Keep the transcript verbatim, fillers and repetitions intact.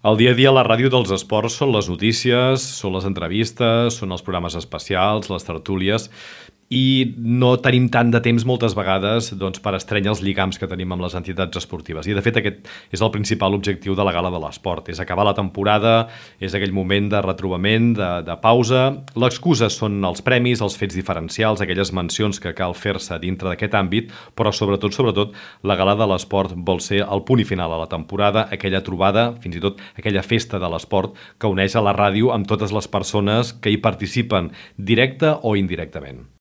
El dia a dia a la ràdio dels esports són les notícies, són les entrevistes, són els programes especials, les tertúlies, i no tenim tant de temps moltes vegades doncs, per estrènyer els lligams que tenim amb les entitats esportives. I de fet aquest és el principal objectiu de la Gala de l'Esport, és acabar la temporada, és aquell moment de retrobament, de, de pausa. L'excusa són els premis, els fets diferencials, aquelles mencions que cal fer-se dintre d'aquest àmbit, però sobretot, sobretot, la Gala de l'Esport vol ser el punt i final a la temporada, aquella trobada, fins i tot aquella festa de l'esport que uneix a la ràdio amb totes les persones que hi participen, directe o indirectament.